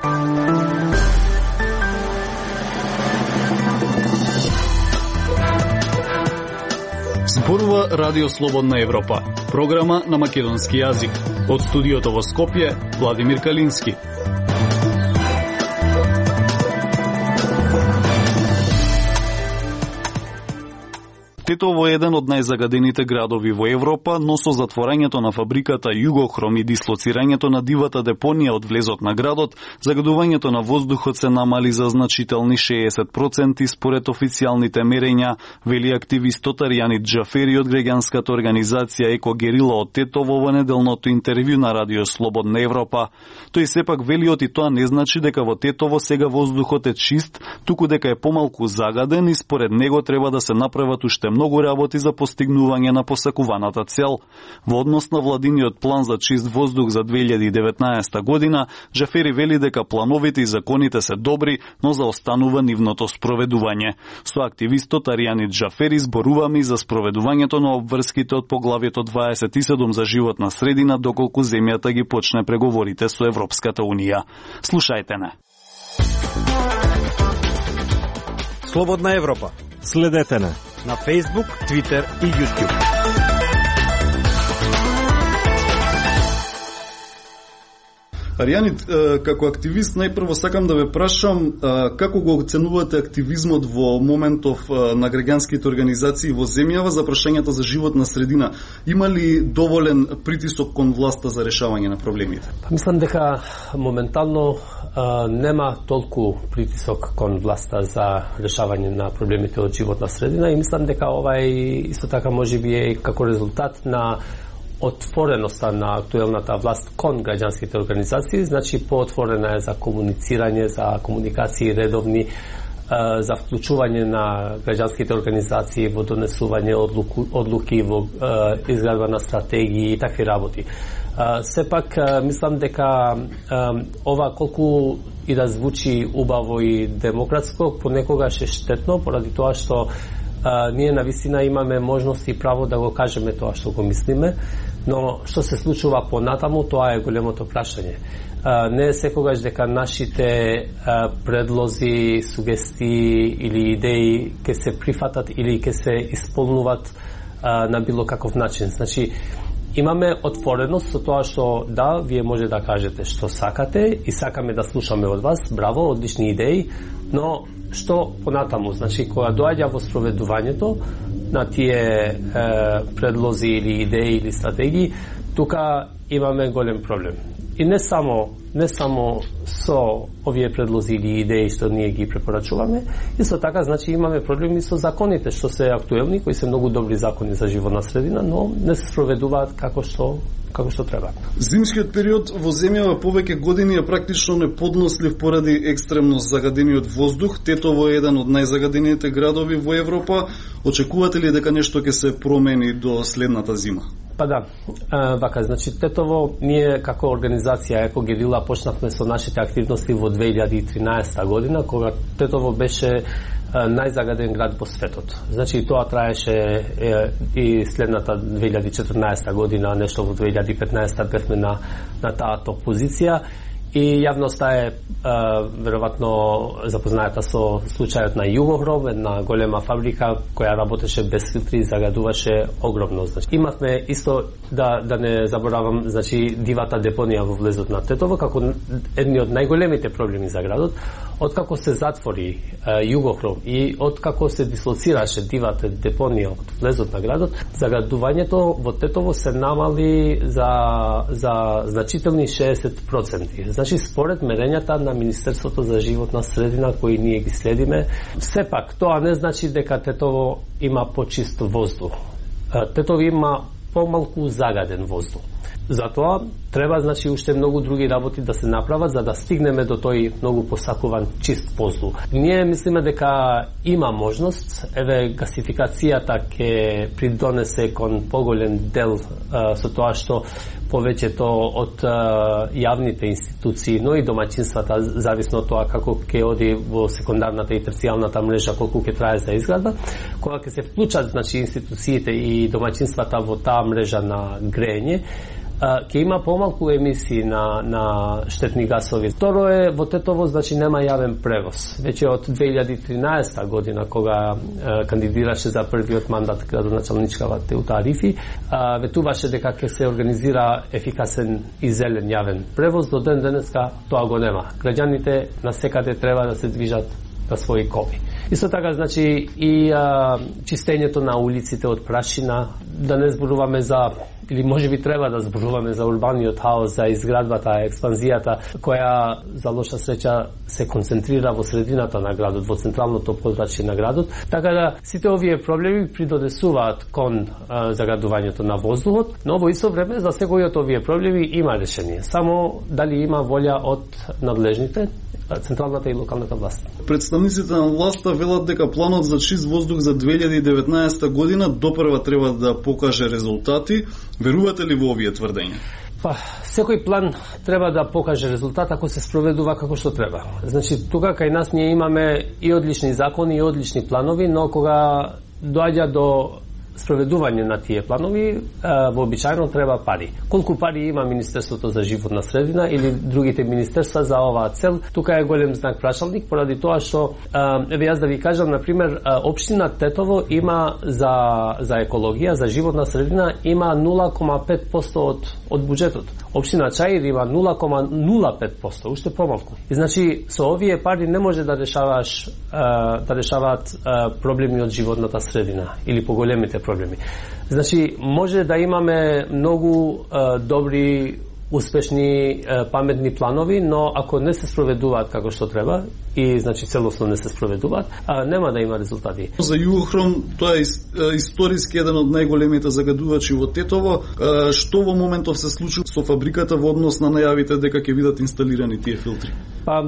Зборува Радио Слободна Европа, програма на македонски јазик. Од студиото во Скопје, Владимир Калински. Тетово е еден од најзагадените градови во Европа, но со затворањето на фабриката Југохром и дислоцирањето на дивата депонија од влезот на градот, загадувањето на воздухот се намали за значителни 60% според официјалните мерења, вели активистот Аријанит Џафери од граѓанската организација Екогерила од Тетово во неделното интервју на Радио Слободна Европа. Тој сепак вели и тоа не значи дека во Тетово сега воздухот е чист, туку дека е помалку загаден и според него треба да се направат уште многу работи за постигнување на посакуваната цел. Во однос на владиниот план за чист воздух за 2019 година, Џафери вели дека плановите и законите се добри, но заостанува нивното спроведување. Со активистот Аријанит Џафери зборуваме и за спроведувањето на обврските од поглавието 27 за животна средина доколку земјата ги почне преговорите со Европската Унија. Слушајте не. Слободна Европа. Следете не на Facebook, Twitter и YouTube. Аријанит, како активист, најпрво сакам да ве прашам како го оценувате активизмот во моментов на граѓанските организации во земјава за прашањата за животна средина? Има ли доволен притисок кон власта за решавање на проблемите? Мислам дека моментално нема толку притисок кон власта за решавање на проблемите од животна средина и мислам дека ова е исто така можеби е како резултат на отвореноста на актуелната власт кон граѓанските организации, значи поотворена е за комуницирање, за комуникации редовни, за вклучување на граѓанските организации во донесување одлуки, во изградба на стратегии и такви работи. Сепак, мислам дека ова колку и да звучи убаво и демократско, понекогаш е штетно, поради тоа што ние навистина имаме можност и право да го кажеме тоа што го мислиме, но што се случува понатаму, тоа е големото прашање. Не е секогаш дека нашите предлози, сугестии или идеи ќе се прифатат или ќе се исполнуват на било каков начин. Значи, имаме отвореност со тоа што да, вие може да кажете што сакате и сакаме да слушаме од вас, браво, одлични идеи, но што понатаму, значи кога доаѓа во спроведувањето на тие предлози или идеи или стратегии, тука имаме голем проблем. И не само со овие предлози или идеи што ние ги препорачуваме, исто така значи имаме проблеми со законите што се актуелни, кои се многу добри закони за животна средина, но не се спроведуваат како што треба. Зимскиот период во земјава повеќе години е практично неподнослив поради екстремно загадениот воздух. Тетово е еден од најзагадените градови во Европа. Очекувате ли дека нешто ќе се промени до следната зима? Па да, вака, значи Тетово, ние како организација Екогерила почнавме со нашите активности во 2013 година, кога Тетово беше најзагаден град во светот. Значи тоа траеше и следната 2014 година, нешто во 2015 бевме на таа топ позиција. И јавноста е веројатно запознаета со случајот на Југохром, една голема фабрика која работеше без филтри и загадуваше огромно. Значи, имавме исто да не заборавам, значи дивата депонија во влезот на Тетово како едни од најголемите проблеми за градот. Откако се затвори Југохром и откако се дислоцираше дивата депонија од влезот на градот, загадувањето во Тетово се намали за значителни 60%. Значи, според мерењата на Министерството за животна средина, кои ние ги следиме, сепак тоа не значи дека Тетово има почист воздух. Тетово има помалку загаден воздух. Затоа треба, значи, уште многу други работи да се направат за да стигнеме до тој многу посакуван чист воздух. Ние мислиме дека има можност, еве гасификацијата ќе придонесе кон поголем дел со тоа што повеќето од јавните институции, но и домаќинствата, зависно од тоа како ќе оди во секундарната и терцијалната мрежа, колку ќе трае за изградба, кога ќе се вклучат, значи, институциите и домаќинствата во таа мрежа на грејење, ќе има помалку емисии на штетни гасови. Второ е, во Тетово значи нема јавен превоз. Веќе од 2013 година кога кандидираше за првиот мандат градоначалничкава Теута Арифи, ветуваше дека ќе се организира ефикасен и зелен јавен превоз. До ден денеска тоа го нема. Граѓаните на секаде треба да се движат на своји коли. Исто така, значи, и чистењето на улиците од прашина, да не зборуваме за, или можеби треба да зборуваме за урбаниот хаос, за изградбата, експанзијата, која за лоша среќа се концентрира во средината на градот, во централното подрачје на градот. Така да, сите овие проблеми придонесуваат кон заградувањето на воздухот, но во исто време за секој од овие проблеми има решение. Само дали има волја од надлежните, централната и локалната власт. Представниците на власта велат дека планот за чист воздух за 2019 година допрва треба да покаже резултати. Верувате ли во овие тврдења? Па, секој план треба да покаже резултат ако се спроведува како што треба. Значи, тука кај нас ние имаме и одлични закони и одлични планови, но кога доаѓа до спроведување на тие планови, вообичаено треба пари. Колку пари има Министерството за животна средина или другите министерства за оваа цел, тука е голем знак прашалник, поради тоа што, еве јас да ви кажам, например, општина Тетово има за екологија, за животна средина, има 0,5% од буџетот. Општина Чаир има 0,05%, уште помалку. И значи, со овие пари не може да решаваат проблеми од животната средина или поголемите проблеми. Значи, може да имаме многу добри, успешни, паметни планови, но ако не се спроведуваат како што треба и значи целосно не се спроведуваат, нема да има резултати. За Југохром тоа е историски еден од најголемите загадувачи во Тетово. Што во моментов се случи со фабриката во однос на најавите дека ќе бидат инсталирани тие филтри? Па,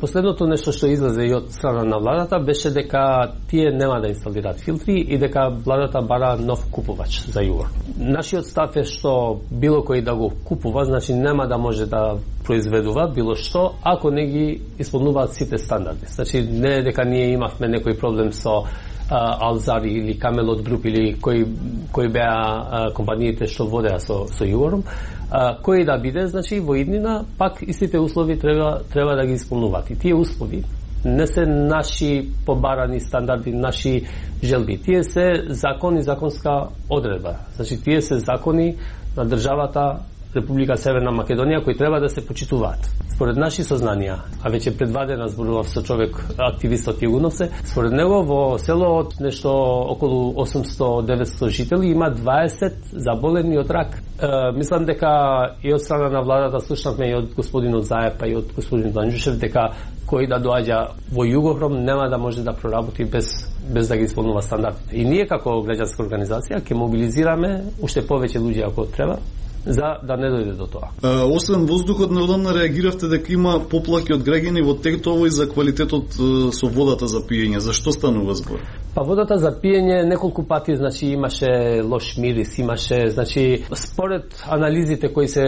последното нешто што излезе и од страна на владата беше дека тие нема да инсталираат филтри и дека владата бара нов купувач за Југор. Нашиот став е што било кој да го купува, значи нема да може да произведува било што ако не ги исполнуваат сите стандарди. Значи не е дека ние имавме некој проблем со Алзари или Камелот Груп или кои беа компаниите што водеа со Југором, кој да биде, значи во иднина пак истите услови треба да ги исполнуваат. И тие услови не се наши побарани стандарди, наши желби. Тие се закон и законска одредба. Значи тие се закони на државата Република Северна Македонија кои треба да се почитуваат. Според наши сознанија, а веќе предвадена зборував со човек, активистот Југуновце, според него во село од нешто околу 800-900 жители има 20 заболени од рак. Мислам дека и од страна на владата слушнавме и од господинот Заев, и од господинот Анџушев дека кој да доаѓа во Југохром нема да може да проработи без да ги исполнува стандардите. И ние како граѓанска организација ќе мобилизираме уште повеќе луѓе ако треба за да не дојде до тоа. Освен воздухот, неодамна реагиравте дека има поплаки од граѓани во Тетово и за квалитетот со водата за пиење. Зашто станува збор? Па водата за пиење неколку пати значи имаше лош мирис, имаше значи според анализите кои се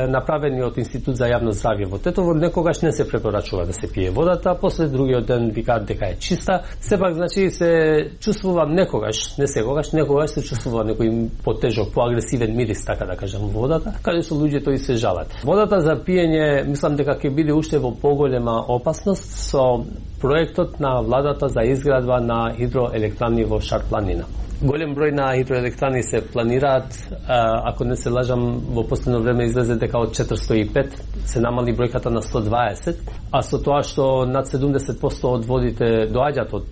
направени од Институт за јавно здравје во Тетово, некогаш не се препорачува да се пие водата, после другиот ден викаат дека е чиста. Сепак значи се чувствува некогаш се чувствува некој потежок, поагресивен мирис, така да кажам, водата, каде што луѓето и се жалат. Водата за пиење, мислам дека ќе биде уште во поголема опасност со проектот на владата за изградба на хидроелектрани во Шар-планина. Голем број на хидроелектрани се планираат, ако не се лажам, во последно време излезе дека од 405 се намали бројката на 120, а со тоа што над 70% од водите доаѓаат од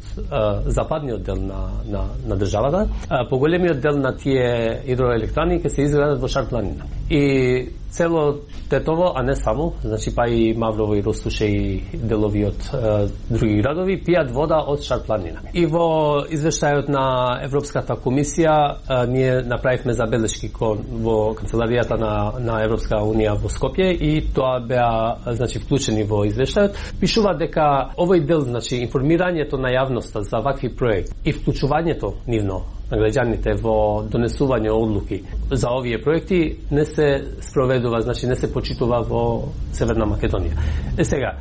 западниот дел на државата, поголемиот дел на тие хидроелектрани ќе се изградат во Шар-планина. И цело Тетово, а не само, значи па и Маврово и Ростуше и делови од други градови пијат вода од Шар-планина. И во извештајот на Европската комисија ние направивме забелешки во канцеларијата на Европска унија во Скопје и тоа беа значи вклучени во извештајот. Пишува дека овој дел, значи информирањето на јавноста за вакви проекти и вклучувањето нивно на граѓаните во донесување одлуки за овие проекти не се спроведува, значи не се почитува во Северна Македонија. Сега,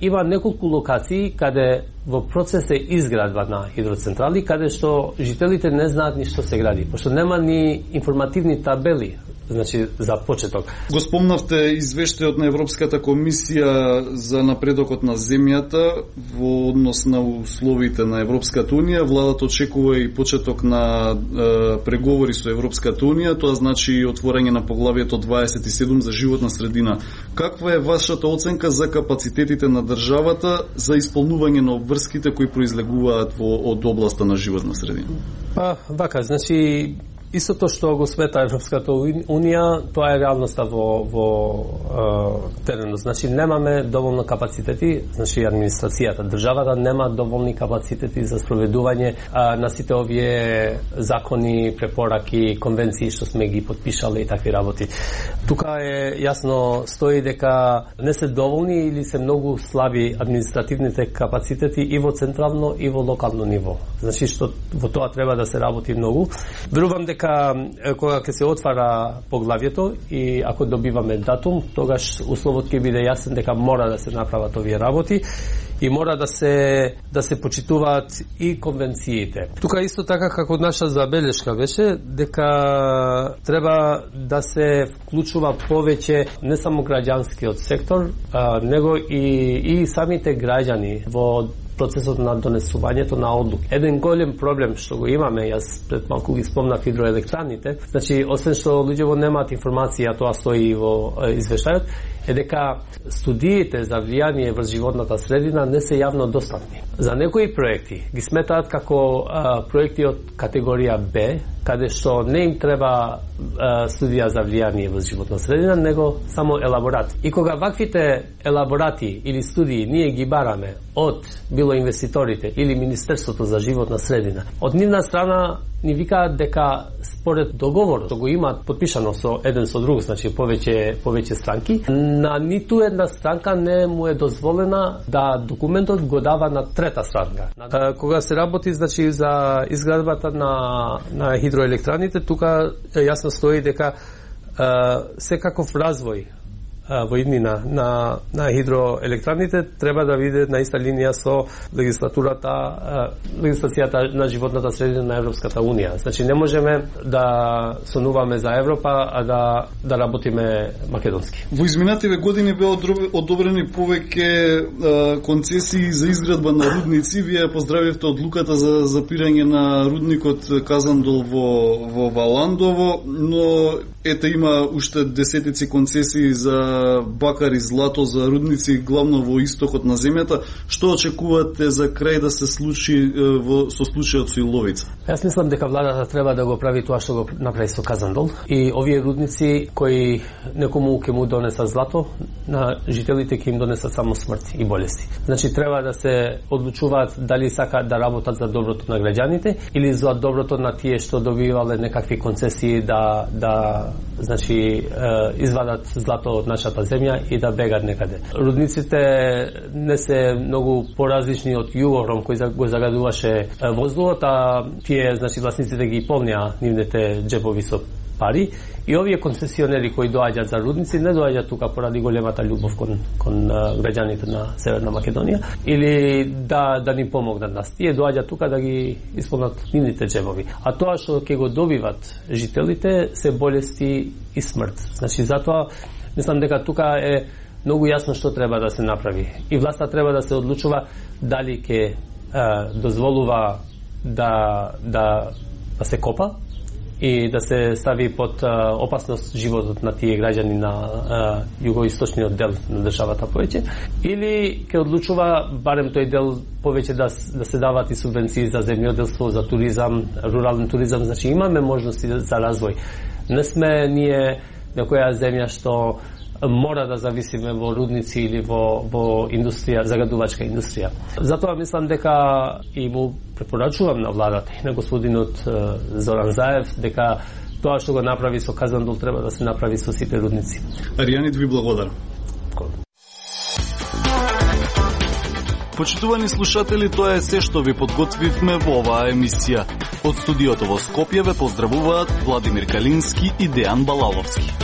има неколку локации каде во процес е изградба на хидроцентрали, каде што жителите не знаат ни што се гради, пошто нема ни информативни табели, значи за почеток. Го спомнавте извештајот на Европската комисија за напредокот на земјата во однос на условите на Европската унија. Владата очекува и почеток на преговори со Европската унија, тоа значи отворање на поглавието 27 за животна средина. Каква е вашата оценка за капацитетите на државата за исполнување на обврските кои произлегуваат од областа на животна средина? Па, вака, значи истото што го смета Европската унија, тоа е реалноста во теренот. Значи немаме доволно капацитети, значи администрацијата, државата нема доволни капацитети за спроведување на сите овие закони, препораки, конвенции што сме ги потпишале и такви работи. Тука е јасно стои дека не се доволни или се многу слаби административните капацитети и во централно и во локално ниво. Значи што во тоа треба да се работи многу. Верувам дека кога ќе се отвара поглавието и ако добиваме датум, тогаш условот ќе биде јасен дека мора да се направат овие работи и мора да се почитуваат и конвенциите. Тука исто така како наша забелешка беше дека треба да се вклучува повеќе не само граѓанскиот сектор, него и самите граѓани во процесот на донесувањето на одлуки. Еден голем проблем што го имаме, јас пред малку ги спомнав хидроелектраните, значи освен што луѓето немаат информација, тоа стои во извештајот, е дека студиите за влијание врз животната средина не се јавно достапни. За некои проекти ги сметаат како проекти од категорија Б, каде што не им треба студија за влијание врз животна средина, него само елаборат. И кога ваквите елаборати или студии ние ги бараме од било инвеститорите или Министерството за животна средина, од нивна страна ни викаат дека според договорот што го имаат подпишано со еден со друг, значи повеќе странки, на ниту една странка не му е дозволена да документот го дава на трета странка. Кога се работи значи за изградбата на хидроелектраните, тука јасно стои дека секаков развој во иднина на хидроелектраните треба да биде на иста линија со легислацијата на животната средина на Европската унија. Значи не можеме да сонуваме за Европа, а да работиме македонски. Во изминативе години беа одобрени повеќе концесии за изградба на рудници. Вие поздравивте одлуката за запирање на рудникот Казандол во Валандово, но ете има уште десетици концесии за бакар и злато, за рудници главно во истокот на земјата. Што очекувате за крај да се случи со случајот со Иловица? Јас мислам дека владата треба да го прави тоа што го направи со Казандол и овие рудници кои некому ќе му донесат злато, на жителите ќе им донесат само смрт и болести. Значи треба да се одлучуваат дали сакаат да работат за доброто на граѓаните или за доброто на тие што добивале некакви концесии да значи извадат злато од нашата земја и да бегат некаде. Рудниците не се многу поразлични од Југохром кој го загадуваше воздухот, а тие значи власниците ги полнеа нивните џебови со пари и овие концесионери кои доаѓаат за рудници не доаѓаат тука поради големата љубов кон граѓаните на Северна Македонија или да ни помогнат нас. Тие доаѓаат тука да ги исполнат нивните џебови. А тоа што ќе го добиват жителите се болести и смрт. Значи затоа мислам дека тука е многу јасно што треба да се направи. И власта треба да се одлучува дали ќе дозволува да се копа и да се стави под опасност животот на тие граѓани на југоисточниот дел на државата повеќе, или ќе одлучува барем тој дел повеќе да се дават и субвенции за земјоделство, за туризам, рурален туризам, значи имаме можности за развој. Не сме ние некоја земја што мора да зависиме во рудници или во индустрија, загадувачка индустрија. Затоа мислам дека и му препорачувам на владата и на господинот Зоран Заев дека тоа што го направи со Казандол треба да се направи со сите рудници. Аријанит ви благодарам. Почитувани слушатели, тоа е се што ви подготвивме во оваа емисија. Од студиото во Скопје ве поздравуваат Владимир Калински и Дејан Балаловски.